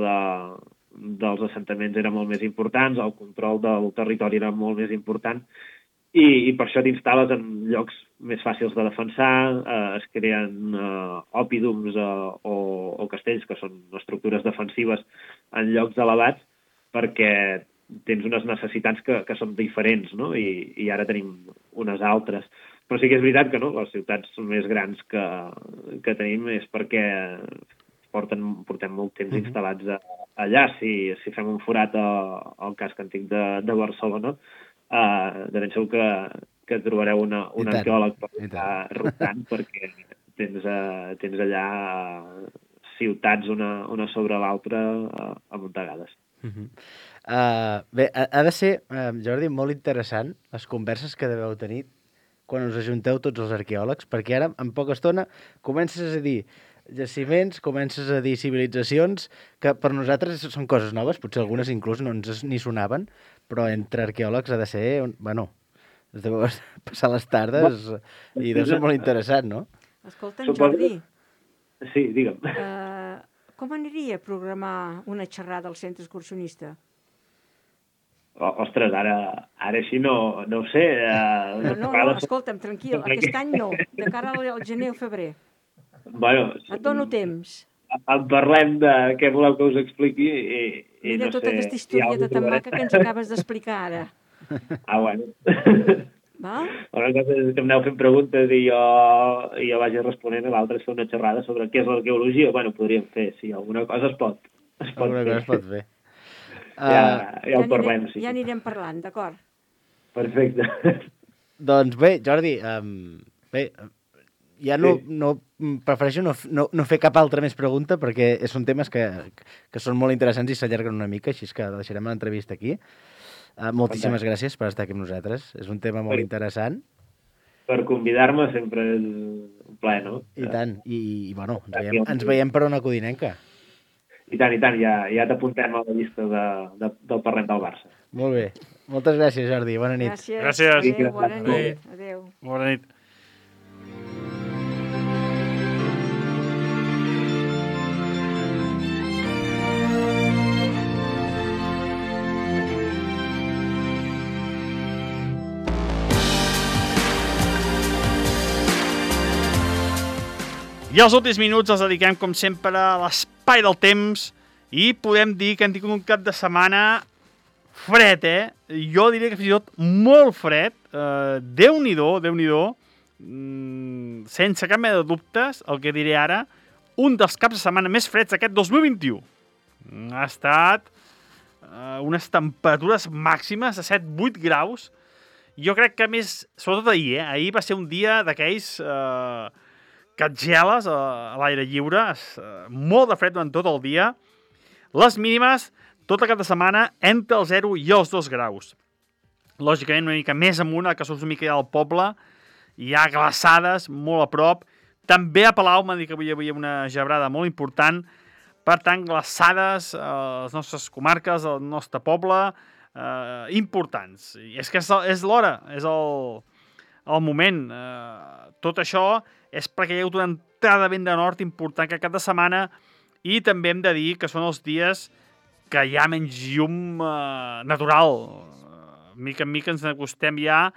dels assentaments era molt més important, el control del territori era molt més important, i per això t'instal·les en llocs més fàcils de defensar, es creen òpidums o castells, que són estructures defensives en llocs elevats, perquè tens unes necessitats que són diferents, no? I ara tenim unes altres. Però sí que és veritat que no, les ciutats més grans que tenim és perquè portem molt temps instal·lats allà. Si fem un forat al casc antic de Barcelona, de ben segur que trobareu un arqueòleg per estar rotant, perquè tens allà ciutats una sobre l'altra amuntegades. Bé, ha de ser, Jordi, molt interessant les converses que deveu tenir quan us ajunteu tots els arqueòlegs, perquè ara, en poca estona, comences a dir jaciments, comences a dir civilitzacions, que per nosaltres són coses noves, potser algunes inclús no ens ni sonaven, però entre arqueòlegs ha de ser, bueno, es deu passar les tardes i deu ser molt interessant, no? Escolta'm, Jordi. Sí, digue'm. Com aniria a programar una xerrada al centre excursionista? Ostres, ara així no ho sé. No, escolta'm, tranquil, aquest any no, de cara al gener o febrer. Bueno, et dono temps. en parlem de què voleu que us expliqui i Mira no tota sé, aquesta ja historieta ho tan trobaré. maca que ens acabes d'explicar ara. Ah, bueno. Val? Una cosa és que em aneu fent preguntes i jo vagi responent, i l'altra és fer una xerrada sobre què és l'arqueologia. Bueno, podríem fer, sí, alguna cosa es pot Alguna cosa es pot fer. Ja ho parlem, sí. Ja anirem parlant, d'acord? Perfecte. Doncs bé, Jordi, bé, ja no prefereixo no fer cap altra més pregunta perquè són temes que són molt interessants i s'allarguen una mica, així que deixarem l'entrevista aquí. Moltíssimes gràcies per estar aquí amb nosaltres. És un tema molt interessant. Per convidar-me sempre és un plaer, no? I tant. I bueno, ens veiem per una codinenca. I tant, ja t'apuntem a la llista del Parlem del Barça. Molt bé. Moltes gràcies, Jordi. Bona nit. Gràcies. Adéu, bona nit. Adéu. Bona nit. I els últims minuts els dediquem, com sempre, a l'espai del temps i podem dir que hem tingut un cap de setmana fred, Jo diria que fins i tot molt fred. Déu-n'hi-do, Déu-n'hi-do. Sense cap mena de dubtes, el que diré ara, un dels caps de setmana més freds d'aquest 2021. Ha estat unes temperatures màximes de 7-8 graus. Jo crec que més, sobretot ahir, ahir va ser un dia d'aquells que et geles a l'aire lliure, molt de fred durant tot el dia. Les mínimes, tot el cap de setmana, entre el 0 i els 2 graus. Lògicament, una mica més amunt, que surts una mica al poble, hi ha glaçades molt a prop. També a Palau m'han dit que avui hi havia una gebrada molt important. Per tant, glaçades a les nostres comarques, al nostre poble, importants. I és que és l'hora, és el moment. Tot això és perquè hi ha hagut una entrada de vent de nord important que cap de setmana i també hem de dir que són els dies que hi ha menys llum natural. Mica en mica ens acostem ja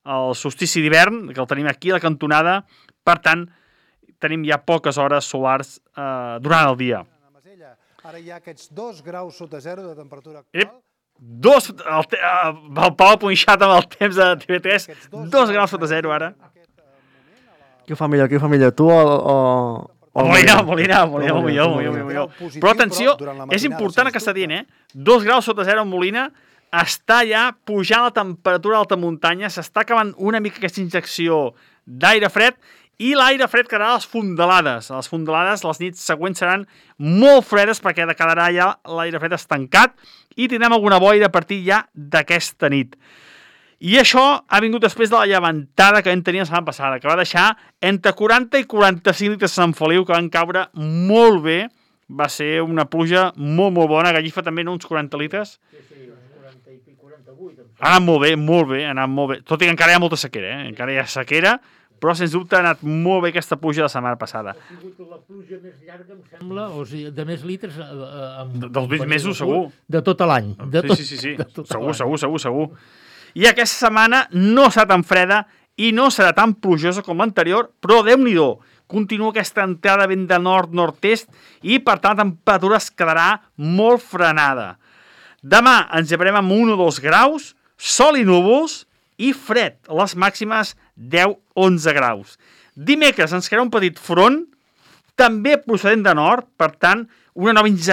al solstici d'hivern, que el tenim aquí a la cantonada, per tant, tenim ja poques hores solars durant el dia. Ara hi ha aquests 2 graus sota zero de temperatura actual. El Pau ha punxat amb el temps de TV3, 2 graus sota zero ara. Qui ho fa millor, tu o Molina, millor. Però atenció, és important el que està dient, 2 graus sota zero en Molina, està ja pujant la temperatura a l'alta muntanya, s'està acabant una mica aquesta injecció d'aire fred i l'aire fred quedarà a les fondalades. A les fondalades les nits següents seran molt fredes perquè quedarà ja l'aire fred estancat i tindrem alguna boira a partir ja d'aquesta nit. I això ha vingut després de la llevantada que vam tenir la setmana passada, que va deixar entre 40 i 45 litres a Sant Feliu, que van caure molt bé. Va ser una pluja molt, molt bona. Gallifa també, no? Uns 40 litres. Sí, 40 i 48. Ha anat molt bé, ha anat molt bé. Tot i que encara hi ha molta sequera, Encara hi ha sequera, però sens dubte ha anat molt bé aquesta pluja la setmana passada. Ha sigut la pluja més llarga, em sembla, o sigui, de més litres... Dels 20 mesos, segur. De tot l'any. Sí. Segur. I aquesta setmana no serà tan freda i no serà tan plujosa com l'anterior, però Déu-n'hi-do, continua aquesta entrada vent de nord-nord-est i, per tant, la temperatura es quedarà molt frenada. Demà ens llevarem amb 1 o 2 graus, sol i núvols i fred, les màximes 10-11 graus. Dimecres ens quedarà un petit front, també procedent de nord, per tant, una nova injecció